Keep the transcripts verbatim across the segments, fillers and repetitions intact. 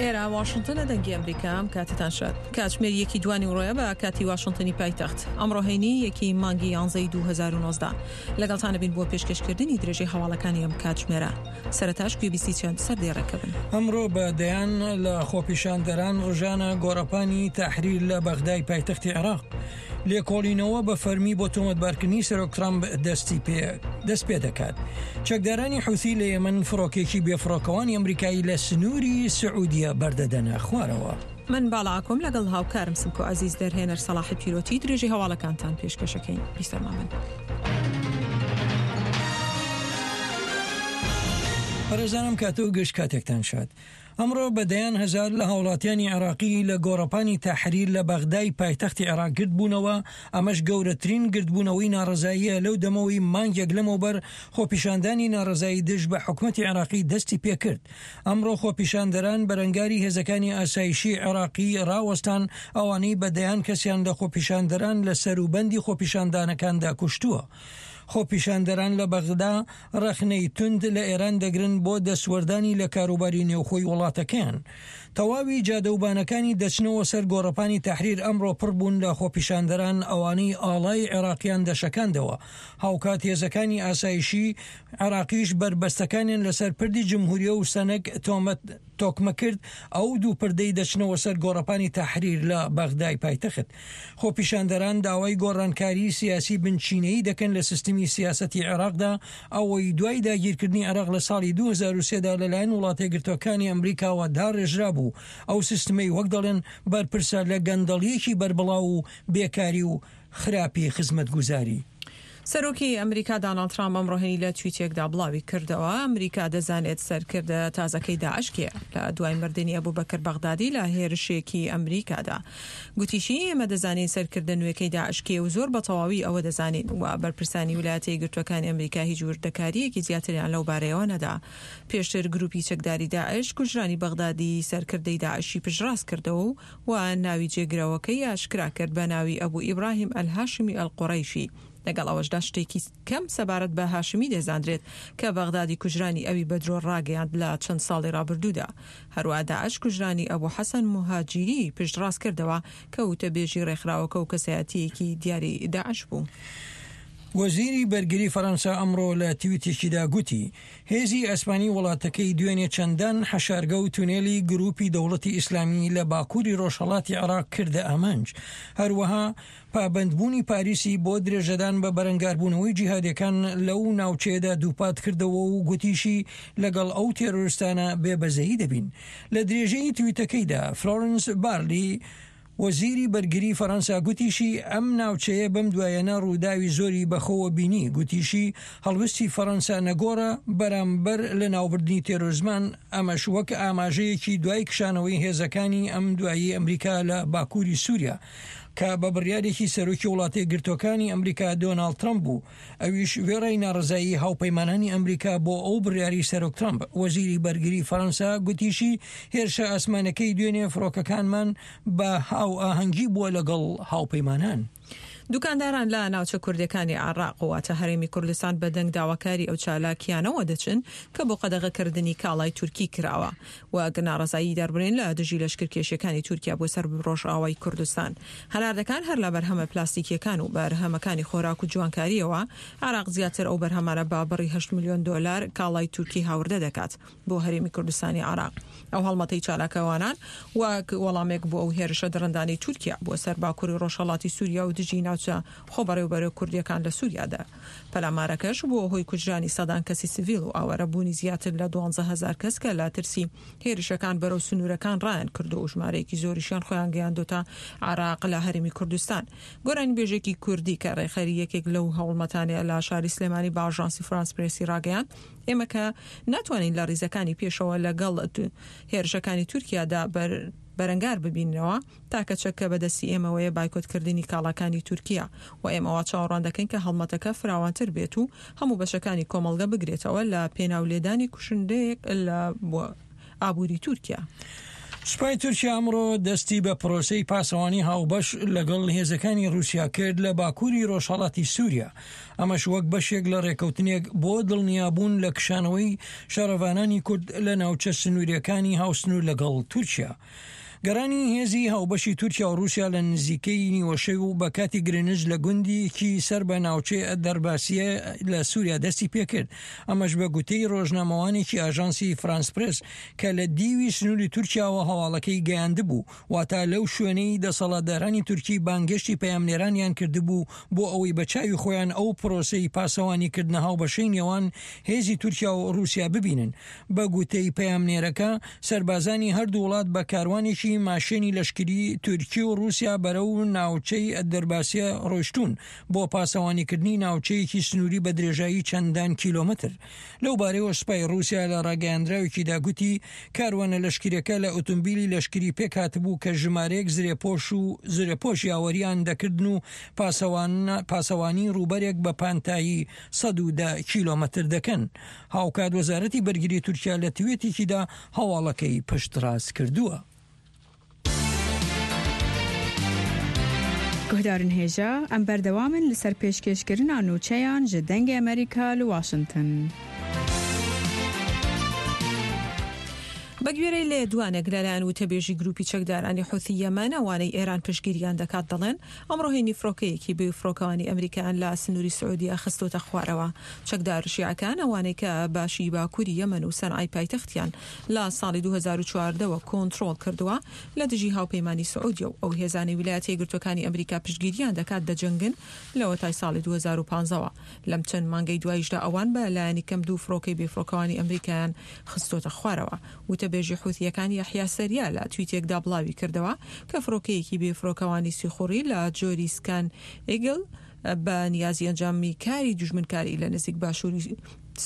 ئێرە واشنتنە، دەنگی ئەمریکا. ئەم کاتتان شاد. کاتژمێر یەکی دوانی ڕۆیە بە کاتی واشنتنی پایتەخت. ئەمڕۆ هەینی یەکی مانگی یانزەی دوو هەزار و نۆزدە لەگەڵتانە بین بۆ پێشکەشکردنی درێژەی هەواڵەکانی ئەم کاتژمێرە. سەرەتاش گوێبیستی چەند سەردێڕێکە بن. ئەمڕۆ بە دەیان لە خۆپیشاندەران ڕژانە گۆڕەپانی تەحریر لە بەغدای پایتەختی عێراق. لێکۆڵینەوە بە فەرمی بۆ تۆمەتبارکردنی سەرۆک ترامپ دەستی پێ دەست پێ دەکات. چەکدارانی حوسی لە یەمەن فڕۆکێکی بێفڕۆکەوانی ئەمریکایی لە سنووری سعودیە بەردەدەنە خوارەوە. من باڵاکۆم لەگەڵ هاوکارم سمکۆ عەزیز دەرهێنەر سەڵاحی پیرۆتی درێژەی هەواڵەکانتان پێشکەشەکەین. بیسەرما من. بەڕێزانم کاتە و گشت کاتێکتان شاد. ئەمڕۆ بە دەیان هەزار لە هاوڵاتیانی عێراقی لە گۆڕەپانی تەحریر لە بەغدای پایتەختی عێراق گردبوونەوە، ئەمەش گەورەترین گردبوونەوەی ناڕەزاییە لەو دەمەوەی مانگێک لەمەوبەر خۆپیشاندانی ناڕەزایی دژ بە حکومەتی عێراقی دەستی پێکرد. ئەمڕۆ خۆپیشاندەران بەرەنگاری هێزەکانی ئاسایشی عێراقی ڕاوەستان، ئەوانەی بە دەیان کەسیان لە خۆپیشاندەران لە سەروبەندی خۆپیشاندانەکاندا کوشتووە. خۆپیشاندەران لە بەغدا ڕەخنەی توند لە ئێران دەگرن بۆ دەستوەردانی لە کاروباری نێوخۆی وڵاتەکەیان. تەواوی جادەوبانەکانی دەچنەوە سەر گۆڕەپانی تەحریر ئەمڕۆ پڕ بوون لە خۆپیشاندەران، ئەوانەی ئاڵای عێراقیان دەشەکاندەوە. هاوکات هێزەکانی ئاسایشی عێراقیش بەربەستەکانیان لەسەر پردی جمهوریە و سەنەک تۆمەت تۆکمە کرد، ئەو دوو پردەی دەچنەوە سەر گۆڕەپانی تەحریر لە بەغدای پایتەخت. خۆپیشاندەران داوای گۆڕانکاری سیاسی بنچینەیی دەکەن لە سیستمی سیاسەتی عێراقدا، ئەوەی دوای داگیرکردنی عێراق لە ساڵی دوو هەزار و سێدا لەلایەن وڵاتەیەکگرتووەکانی ئەمریکاوە داڕێژرا بوو. ئەو سیستمەی وەک دەڵێن بەرپرسە لە گەندەڵیەکی بەربڵاو و بێکاری و خراپی خزمەتگوزاری. سەرۆکی ئەمریکا داناڵد ترامپ ئەمڕۆ هەینی لە تویتێکدا بڵاوی کردەوە ئەمریکا دەزانێت سەرکردە تازەکەی داعش کێیە لە دوای مردنی ئەبوبەکر بەغدادی لە هێرشێکی ئەمریکادا. گوتیشی ئێمە دەزانین سەرکردە نوێکەی داعش کێیە و زۆر بە تەواوی ئەوە دەزانین و بەرپرسانی ویلایەتە یەکگرتووەکانی ئەمریکا هیچ وردەکارییەکی زیاتریان لەو بارەیەوە نەدا. پێشتر گروپی چەکداری داعش کوژرانی بەغدادی سەرکردەی داعشی پشتڕاست کردەوە و ناوی جێگرەوەکەی ئاشکرا کرد بە ناوی ئەبو ئیبراهیم ئەلهاشمی ئەلقوڕەیشی. لەگەڵ ئەوەشدا شتێکی کەم سەبارەت بە هاشمی دەزانرێت کە بەغدادی کوژرانی ئەوی بە درۆ ڕاگەیاند لە چەند ساڵی ڕابردوودا. هەروەها داعش کوژرانی ئەبو حەسەن موهاجیری پشتڕاست کردەوە کە وتەبێژی ڕێکخراوەکە و کەسایەتییەکی دیاری داعش بوو. وەزیری بەرگری فەرەنسا ئەمڕۆ لە تویتێکیدا گوتی هێزی ئەسپانی وڵاتەکەی دوێنێ چەندان حەشارگە و تونێلی گروپی دەوڵەتی ئیسلامی لە باکووری ڕۆژهەڵاتی عێراق کردە ئامانج. هەروەها پابەندبوونی پاریسی بۆ درێژەدان بە بەرەنگاربوونەوەی جیهادیەکان لەو ناوچەیەدا دووپات کردەوە و گوتیشی لەگەڵ ئەو تێرۆریستانە بێبەزەیی دەبین. لە درێژەی تویتەکەیدا فلۆرنس بارلی وەزیری بەرگری فەرەنسا گوتیشی ئەم ناوچەیە بەم دوایەنە ڕووداوی زۆری بەخۆوە بینی. گوتیشی هەڵوستی فەرەنسا نەگۆڕە بەرامبەر لە ناوبردنی تێرۆریزمان، ئەمەش وەک ئاماژەیەکی دوای کشانەوەی هێزەکانی ئەم دوایی ئەمریکا لە باکووری سووریا کە بە بڕیارێکی سەرۆکی وڵاتە یەکگرتووەکانی ئەمریکا دۆناڵد ترەمپ بوو، ئەویش وێڕای ناڕەزایی هاوپەیمانانی ئەمریکا بۆ ئەو بڕیاری سەرۆک ترەمپ. وەزیری بەرگری فەرەنسا گوتیشی هێرشە ئاسمانەکەی دوێنێ فڕۆکەکانمان بە هاوئاهەنگی بووە لەگەڵ هاوپەیمانان. دوکانداران لە ناوچە کوردەکانی عێراق واتە هەرێمی کوردستان بە دەنگ داواکاری ئەو چالاکیانەوە دەچن کە بۆ قەدەغەکردنی کاڵای تورکی کراوە وەک ناڕەزایی دەربرین لە دژی لەشکرکێشیەکانی تورکیا بۆ سەر ڕۆژئاوای کوردستان. هەناردەکان هەر لە بەرهەمە پلاستیکیەکان و بەرهەمەکانی خۆراک و جوانکاریەوە عێراق زیاتر ئەو بەرهەمانە بە بڕی هەشت ملیۆن دۆلار کاڵای تورکی هاوردە دەکات بۆ هەرێمی کوردستانی عێراق. ئەو هەڵمەتەی چالاکەوانان وەک وەڵامێک بۆ ئەو هێرشە دڕندانەی تورکیا بۆ سەر باکووری ڕۆژهەڵاتی سووریا و دژی ناوچە خۆبەڕێوبەرە کوردیەکان لە سووریادا. پەلامارەکەش بووە هۆی کوژرانی سەدان کەسی سڤیل و ئاوارەبوونی زیاتر لە دوانزە هەزار کەس کە لە ترسی هێرشەکان بەرەو سنوورەکان ڕایان کردو و ژمارەیەکی زۆریشیان خۆیان گەیاندۆتە عێراق لە هەرێمی کوردستان. گۆرانیبێژێکی کوردی کە ڕێکخەری یەکێک لەو هەوڵمەتانەیە لە شاری سلێمانی بە ئاژانسی فرانس پرێسی ڕاگەیاند ئێمە کە ناتوانین لە ڕیزەکانی پێشەوە لەگەڵ هێرشەکانی تورکیادا بەر بەرەنگار ببینەوە، تاکە چەکە بەدەستی ئێمەوەیە بایکۆتکردنی کاڵاکانی تورکیا و ئێمەوە چاوەڕوان دەکەین کە هەڵمەتەکە فراوانتر بێت و هەموو بەشەکانی کۆمەڵگە بگرێتەوە لە پێناو لێدانی کوشندەیەک لە ئابووری تورکیا. سوپای تورکیا ئەمڕۆ دەستی بە پرۆسەی پاسەوانی هاوبەش لەگەڵ هێزەکانی رووسیا کرد لە باکووری ڕۆژهەڵاتی سووریا، ئەمەش وەک بەشێک لە ڕێکەوتنێک بۆ دڵنیابوون لە کشانەوەی شەڕڤانانی کورد لە ناوچە سنووریەکانی هاوسنوور لەگەڵ تورکیا. گەڕانی هێزی هاوبەشی تورکیا و رووسیا لە نزیکەی نیوەشەو و بە کاتی گرنج لە گوندێکی سەر بە ناوچەی دەرباسیە لە سووریا دەستی پێکرد، ئەمەش بە گوتەی ڕۆژنامەوانێکی ئاژانسی فرانس پرێس کە لە دیوی سنووری تورکیاوە هەواڵەکەی گەیاندبوو، واتا لەو شوێنەی دەسەڵاتدارانی تورکی بانگێشتی پەیامنێرانیان کردبوو بۆ ئەوەی بە چاوی خۆیان ئەو پرۆسەی پاسەوانیکردنە هاوبەشەی نێوان هێزی تورکیا و رووسیا ببینن. بە گوتەی پەیامنێرەکە، سەربازانی هەردوو وڵات بە کاروانێکی ماشێنی لەشکری تورکی و رووسیا بەرەو ناوچەی دەرباسیە ڕۆیشتوون بۆ پاسەوانیکردنی ناوچەیەکی سنووری بە درێژایی چەندان کیلۆمەتر. لەو بارەیەوە سوپای رووسیا لە ڕاگەیاندراوێکیدا گوتی کاروانە لەشکریەکە لە ئۆتۆمبیلی لەشکری پێکهاتبوو کە ژمارەیەک زرێپۆش و زرێپۆش یاوەریان دەکردن و پاسەوانی ڕووبەرێک بە پانتایی سەد و دە کیلۆمەتر دەکەن. هاوکات وەزارەتی بەرگری تورکیا لە توێتێکیدا هەواڵەکەی پشتڕاست کردووە. گوهدارن هێژا ئەم بەردەوامن لەسەر پێشکێشکردنا نوچەیان ji دەنگê ئەمریکا li واشنگتن. بە گوێرەی لێدوانێک لەلایەن وتەبێژی گروپی چەکدارانی حوثی یەمەن ئەوانەی ئێران پشتگیریان دەکات دەڵێن ئەمڕۆ هەینی فڕۆکەیەکی بێ فڕۆکەوانی ئەمریکایان لە سنووری سعودیە خستۆتە خوارەوە. چەکدار شیعەکان ئەوانەی کە باشی باکووری یەمەن و سەنعای پایتەختیان لە ساڵی دوو هەزار و چواردە کۆنترۆڵ کردووە لە دژی هاوپەیمانی سعودیە و ئەو هێزانەی ویلایەتە یەکگرتووەکانی ئەمریکا پشتگیریان دەکات دەجەنگن لەوەتای ساڵی دوو هەزار و پانزەوە. لەم چەند مانگەی دواییشدا ئەوان بە لایەنی کەم دوو فڕۆکەی بێفڕۆکەوانی ئەمریکایان خستۆتە خوارەوە. وتەبێژی حوثیەکان یەحیا سەریا لە تویتێکدا بڵاوی کردەوە کە فڕۆکەیەکی بێفڕۆکەوانی سیخوڕی لە جۆری سکان ئیگل بە نیازی ئەنجامی کاری دوژمنکاری لە نزیک باشووری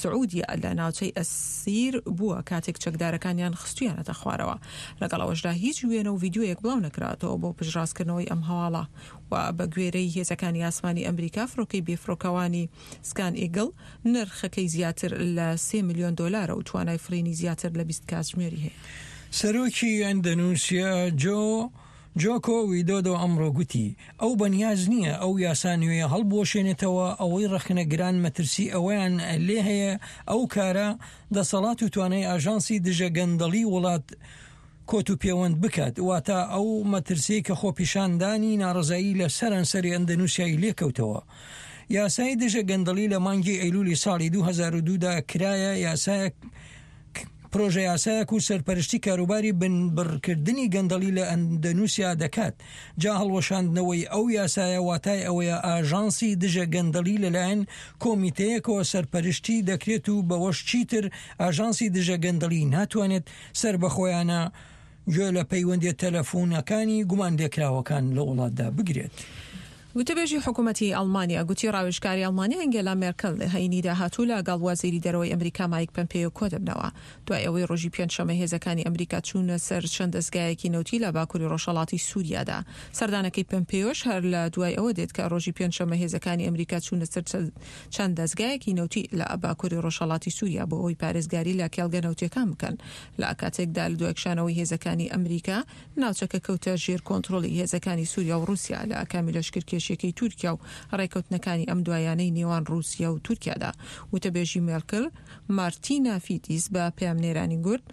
سعودیە لە ناوچەی ئەسیر بووە کاتێک چەکدارەکانیان خستویانەتە خوارەوە. لەگەڵ ئەوەشدا هیچ وێنە و ڤیدیۆیەک بڵاو نەکراتەوە بۆ پشتڕاستکردنەوەی ئەم هەواڵە و بە گوێرەی هێزەکانی ئاسمانی ئەمریکا فڕۆکەی بێفڕۆکەوانی سکان ئیگل نرخەکەی زیاتر لە سێ ملیۆن دۆلارە و توانای فڕینی زیاتر لە بیست کاتژمێری هەیە. سەرۆکی ئەندەنووسیا جۆ جۆکۆ ویدۆدۆ ئەمڕۆ گوتی ئەو بەنیاز نییە ئەو یاسا نوێیە هەڵبوەشێنێتەوە، ئەوەی ڕەخنەگران مەترسی ئەوەیان لێ هەیە ئەو کارە دەسەڵات و توانای ئاژانسی دژە گەندەڵی وڵات کۆت و پێوەند بکات، واتە ئەو مەترسیەی کە خۆپیشاندانی ناڕەزایی لە سەرانسەری ئەندەنووسیای لێکەوتەوە. یاسای دژە گەندەڵی لە مانگی ئەیلولی ساڵی دوو هەزار و دوو دا کرایە یاسایەک پرۆژە یاسایەک و سەرپەرشتی کاروباری بنبڕکردنی گەندەڵی لە ئەندەنووسیا دەکات. جا هەڵوەشاندنەوەی ئەو یاسایە واتای ئەوەیە ئاژانسی دژە گەندەڵی لەلایەن کۆمیتەیەکەوە سەرپەرشتی دەکرێت و بەوەش چیتر ئاژانسی دژە گەندەڵی ناتوانێت سەربەخۆیانە گوێ لە پەیوەندیە تەلەفۆنەکانی گومانلێکراوەکان لە وڵاتدا بگرێت. وتەبێژی حکوومەتی ئەڵمانیا گوتی ڕاوێژکاری ئەڵمانیا ئەنگێلا مێرکل هەینی داهاتوو لەگەڵ وەزیری دەرەوەی ئەمریکا مایک پەمپێیۆ کۆدەبنەوە. دوای ئەوەی ڕۆژی پێنجشەممە هێزەکانی ئەمریکا چوونە سەر چەند دەستگایەکی نەوتی لە باکووری ڕۆژهەڵاتی سووریادا. سەردانەکەی پەمپێیۆش هەر لە دوای ئەوە دێت کە ڕۆژی پێنجشەممە هێزەکانی ئەمریکا چوونە سەر چەند دەستگایەکی نەوتی لە باکووری ڕۆژهەڵاتی سووریا بۆ ئەوەی پارێزگاری لە کێڵگە نەوتیەکان بکەن. لە کاتێکدا لە دوای کشانەوەی هێزەکانی ئەمریکا ناوچەکە کەوتە ژێر کۆنترۆڵی هێزەکانی سووریا و ڕووسیا لە ئاکامی لەشکرکێشیەکەی تورکیا و ڕێکەوتنەکانی ئەم دوایانەی نێوان ڕووسیا و تورکیادا. وتەبێژی مێرکل مارتینا فیتیس بە پەیامنێرانی گوت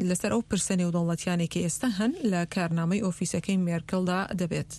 لەسەر ئەو پرسە نێودەوڵەتیانەی کە ئێستا هەن لە کارنامەی ئۆفیسەکەی مێرکلدا دەبێت.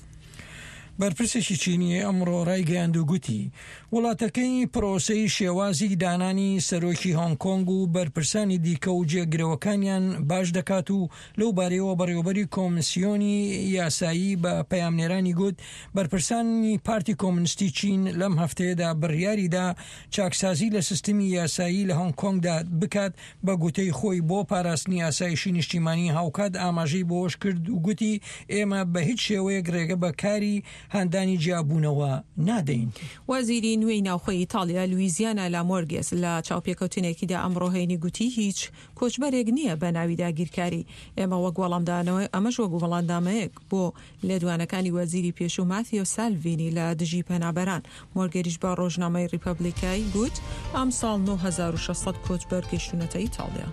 بەرپرسێکی چینی ئەمڕۆ ڕایگەیاند و گوتی وڵاتەکەی پرۆسەی شێوازی دانانی سەرۆکی هۆنگ کۆنگ و بەرپرسانی دیکە و جێگرەوەکانیان باش دەکات و لەو بارەیەوە بەڕێوەبەری کۆمسیۆنی یاسایی بە پەیامنێرانی گوت بەرپرسانی پارتی کۆمۆنیستی چین لەم هەفتەیەدا بڕیاریدا چاکسازی لە سیستمی یاسایی لە هۆنگ کۆنگدا بکات بە گوتەی خۆی بۆ پاراستنی ئاسایشی نیشتیمانی. هاوکات ئاماژەی بۆش کرد و گوتی ئێمە بە هیچ شێوەیەک ڕێگە بە کاری هاندانی جیابوونەوە نادەین. وەزیری نوێی ناوخۆی ئیتالیا لویزیانا لامۆرگێس لە چاوپێکەوتنێکیدا ئەمڕۆ هەینی گوتی هیچ کۆچبەرێک نییە بە ناوی داگیرکاری. ئێمە وەک وەڵامدانەوەی ئەمەش وەک وەڵامدانەوەیەک بۆ لێدوانەکانی وەزیری پێشوو ماتیۆ سالڤینی لە دژی پەنابەران. مۆرگێریش بە ڕۆژنامەی ڕیپەبلیکای گوت ئەمساڵ نۆ هەزار و شەش سەد کۆچبەر گەیشتوونەتە ئیتالیا.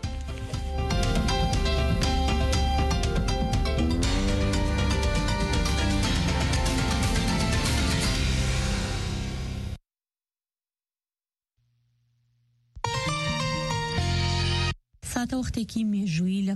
ساتەوەختێکی مێژوویی لە